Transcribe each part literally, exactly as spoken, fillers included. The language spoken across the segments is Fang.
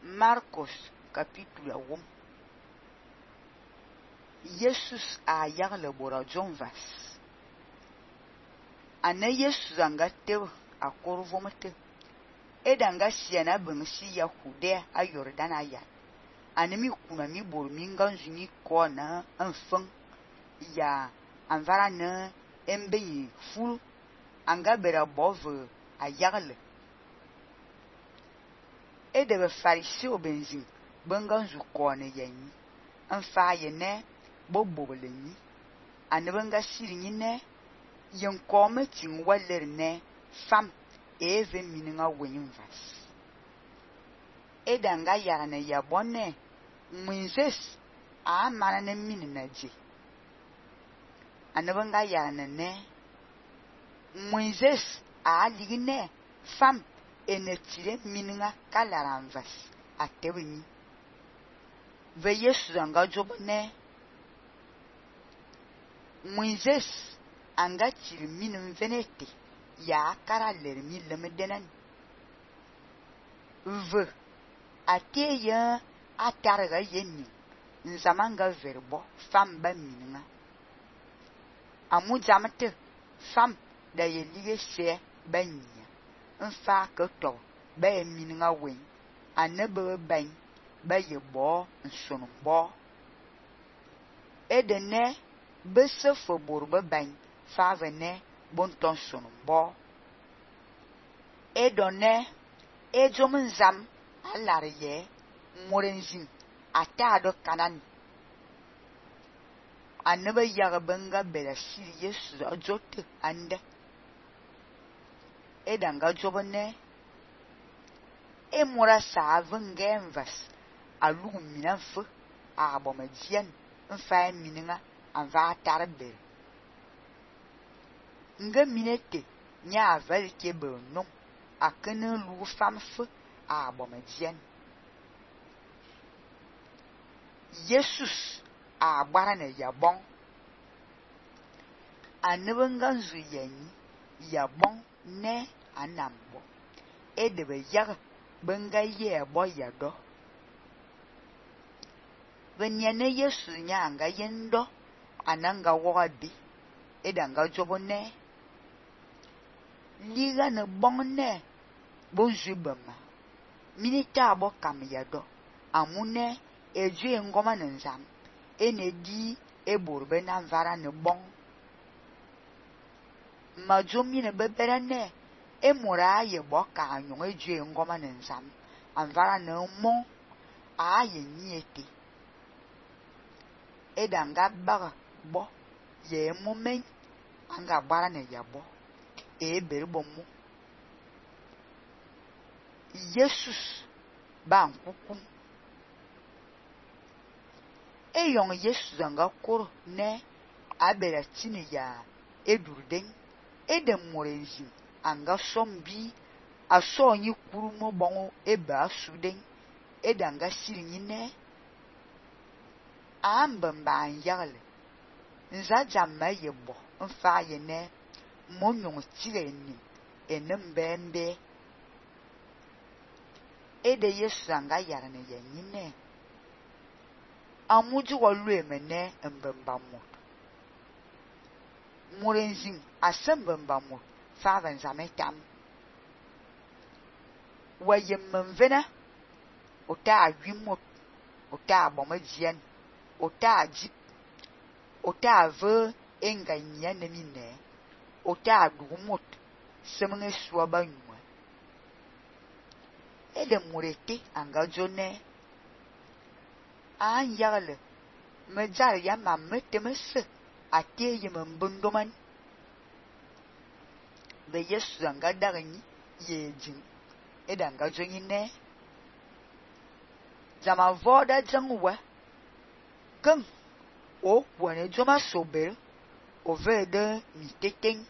Marcos capítulo um. Jesus a yag le bora John vas. Ane Jesus anga tew a korvomete. Edanga siana bengsi ya Judea a Jordan aya. Ane mi kuna mi bor mi nganzu ni kona enfeng ya anvara ne embe ful anga bera bove a yagle. Ede be farisi obenzin benganzu kona yanyi. Enfa ye ne bobobele ni. Ane benga siri ni ne yen kome ting waler ne fam eve mininga wenyin vas. Edanga yarane ya bonne mwinzes a mana ne minina je. Ane benga yarane ne mwinzes a ligine fam ene tire mininga kalaran vas a tewini. Ve Yesu anga jobne mwinzes anga tire minin venete ya kara ler mi lemedenan. Ve ateye atarga yenni nzamanga verbo fam ba mininga. Amu jamete fam da ye lige se banya. Nfa keto ba ye mininga wen anebe ban ba ye bo nsonu bo. Edene bese fobor ba ban fa vene bonton sonu bo. Edone ejom nzam alar ye morenzin atado kanan. Anebe yaga benga bela siri Yesu ajote ande. Edanga jobone e mora sa venge envas alugu minanfe a bomadian nfa mininga anva tarbe. Nga minete nya aval kebe nom akene lu famfe a bomadian. Jesus a barane yabon. Anebe nganzu yenyi yabon ne anambo. Edebe yag benga ye bo yado. Venyane Yesu nyanga yendo ananga wadi. Edanga jobone liga ne bonne bonjubama. Minita abo kam yado. Amune eju ngoma nzam. Ene di eborbe na mvara ne bon. Majomi ne bebere ne emura ye boka anyon eju ngoma nzam. Anvara ne mon a ye niete. Edanga baga bo ye momen anga bara ne yabo e berbomu. Jesus ba nkukum. E yon Jesus anga koro ne abera tini ya edurden. Ede morenzi anga sombi aso nyi kurumo bongo ebe asuden. Ede anga siri ne ambamba anyale. Nza jamma yebo nfa ye ne monyon tire ni enembembe. Ede Yesu anga yarane yenyi ne amuju walu emene mbamba mo. Morenzin asembamba mo fa vanzametam. Waye mvena ota awimot ota bomadian ota ajip ota ave enganya nemine ota adumot semene suaba nywa. Ede murete anga jone an yagle mejar ya mamete mese ateye mbundoman. Be Yesu anga daganyi yejin. Ede anga joni ne zama voda jangwa keng o wane joma sober o vede miteten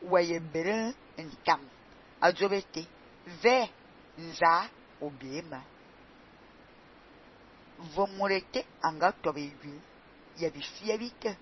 waye bere ntam ajobete ve nza obiema. Vomurete anga tobe yun yabifia bite.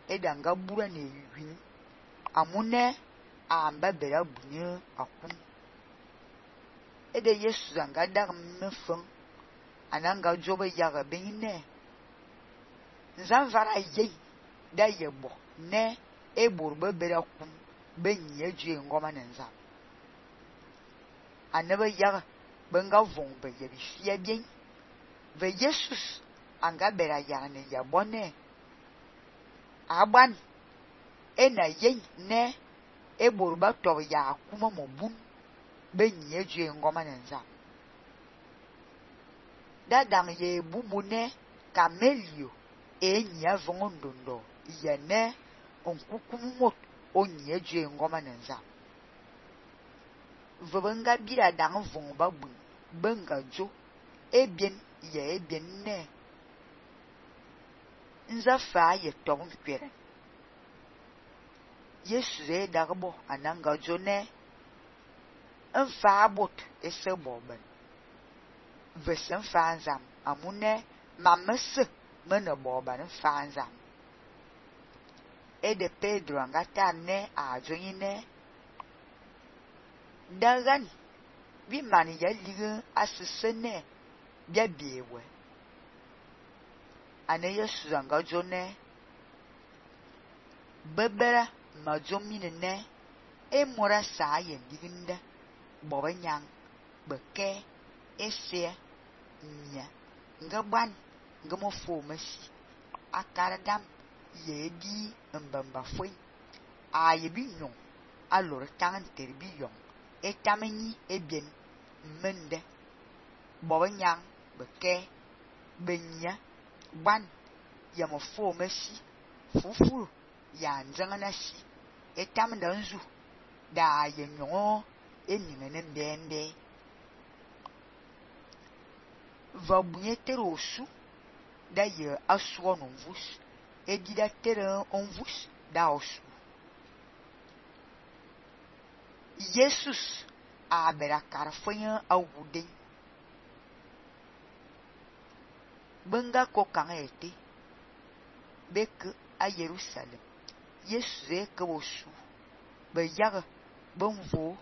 Ede anga bura ne yun amune amba bera bunye akum. Ede Yesu anga dar mefeng ananga jobe yaga benine nzan vara ye da yebo ne e borbe bera kum benye ju ngoma nenza anaba yaga benga vombe ye bi fie bien ve Jesus anga bera yaga ne yabone aban ena ye ne e borba to ya kuma mobun benye ju ngoma nenza da dang ye bubune kamelio enya vongondondo yene onkukumot onye ju ngoma nenza vbenga bira dang vongba bu benga jo ebien ye ebien ne nza fa ye tobun kwere Yesu e dagbo ananga jo ne nfa abot ese boben vesen fanzam amune mamese mena boban fanzam e de Pedro angata ne a joine dagan bi mani ya liga asesene bia biewe ane Yesu anga jone bebera majomine ne e mora sa ye diginde bobanyang beke ese nya ngaban ngamo fo masi akaradam ye di mbamba foi a ye bi nyon alor tan terbi yon etameni ebien mende bobanyang beke benya ban ya mo fo masi fufu ya nzangana si etamda nzu da ye nyon eningene mbembe va bunye tere osu da ye aswo non vus e di da tere on vus da osu Jesus a bera karfonya awude benga ko kan ete bek a Jerusalem Jesus e ko osu be yaga bonvo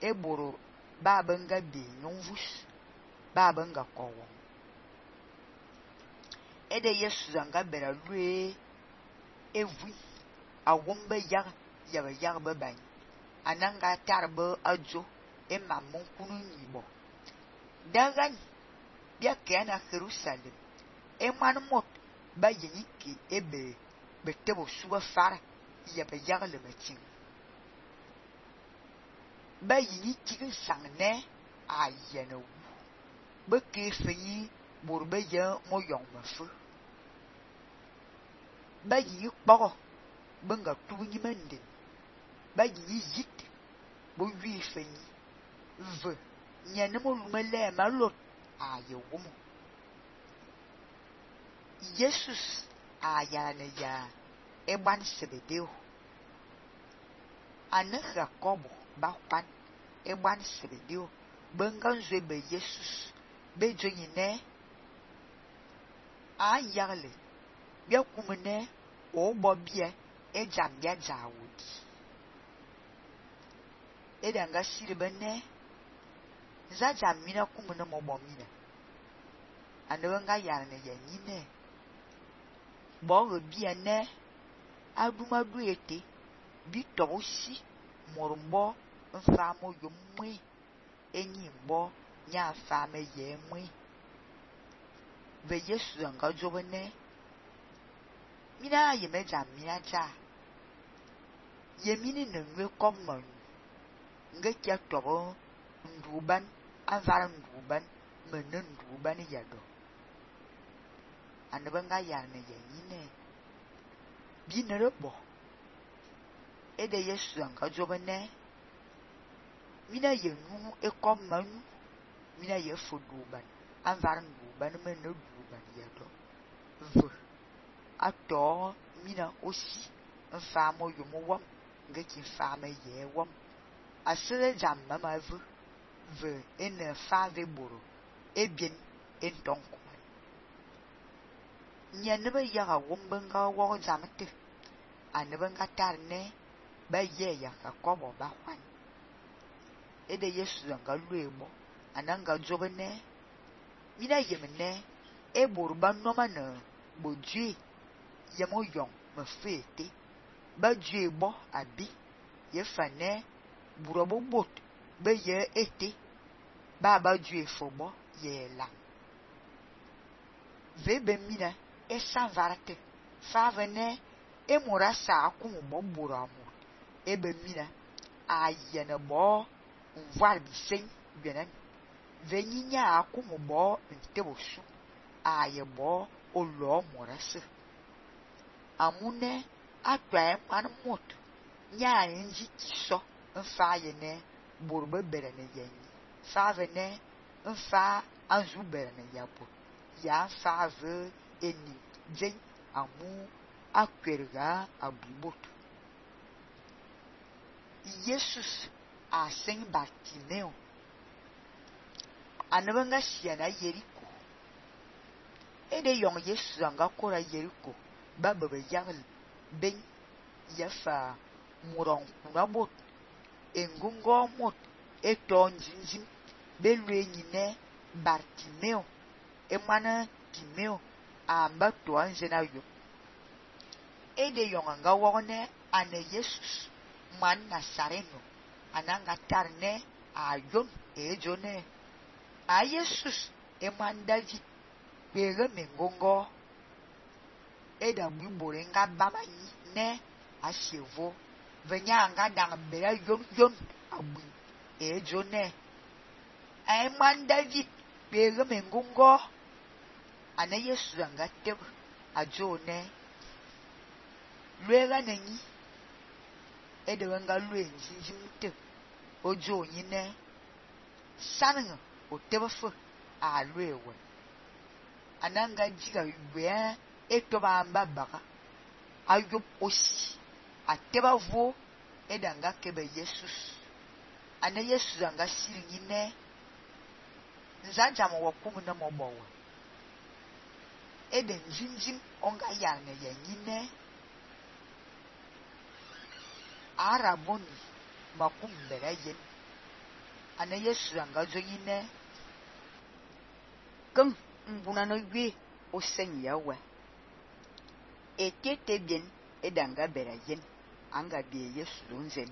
e boro ba benga bi non vus ba benga kowo e de Jesus anga bera lue evu awombe yaga yaga yaga be ban ananga tarbe ajo e mamon kunu nibo dagan bia kana Jerusalem e manmot ba yiki ebe betebo suba fara ya be yaga le metin ba yiki sangne ayene wu be ke feyi borbe ya mo yong mafu ba yi kporo benga tugi mende ba yi yit bo wi feyi v nyane mo lumele malot aye wumo Jesus ayane ya eban sebedeo ane Jacobo ba kwan eban sebedeo benga nzwe be Jesus be joyine a yagle bia kumene o bobie e jambia jawudi e danga sirbene za jamina kumene mo bomina anwenga yarne yanyine bo bia ne adumadu ete bi tosi morumbo mfamo yomwe enyimbo nya fame yemwe ve Yesu anga jobene mina yemeja mina ja yemini nwe komman nge kya tobo nduban avara nduban menen nduban yado anabanga yarne yanyine bi nerebo ede Yesu anga jobene mina yenu ekomman mina yefuduban avara nduban menen nduban yado v ato mina osi mfamo yomo nge ki fama ye wom asere jamma ma vu ve ene fave boro ebien entonko nyanebe yaga wombenga wo jamte anebenga tarne ba ye ya ka kobo ba kwan ede Yesu nga luebo ananga jobene mina yemne e borba noma na bodue yemo yong me fete ba due bo abi ye fane burobo bot be ye ete ba ba due fobo ye la ve be mina e san varate fa vene e mora sa akun bo buramu e be mina a yene bo nvar bi sen benen ve nyinya akun bo ntebosu a ye bo olo morase amune atwa man mot nya nji kiso mfa yene borbe bere ne yen fa vene mfa anzu bere ne yapo ya fa ve eni jen amu akwerga abubot Jesus a sen Bartimeo anabanga siana Yeriko ede yong Jesus anga kora Yeriko baba be yagal ben yafa muron kunabot engungo mot eton jinjin belwe nyine Bartimeo emana Timeo amba to anjena yo ede yong anga wone ane Jesus man Nazareno ananga tarne ayon ejone a Jesus eman David bege mengongo eda bibore nga baba yi ne asievo venya nga dang bera yon yon abu ejone eman David bege mengongo ana Yesu anga teb ajone lwega nenyi ede wenga lwe njinjimte ojo nyine sananga otebafo a lwewe ananga jiga yubea etoba amba baka ayop osi ateba vo edanga kebe Jesus ana Jesus anga siri nyine nzanja mo wakumu na mobowa ede njinjim onga yange ye nyine araboni makum bere yen ana Yesu anga zo nyine kum mbuna no gwe o sen yawe etete bien edanga bere yen anga bi Yesu nzen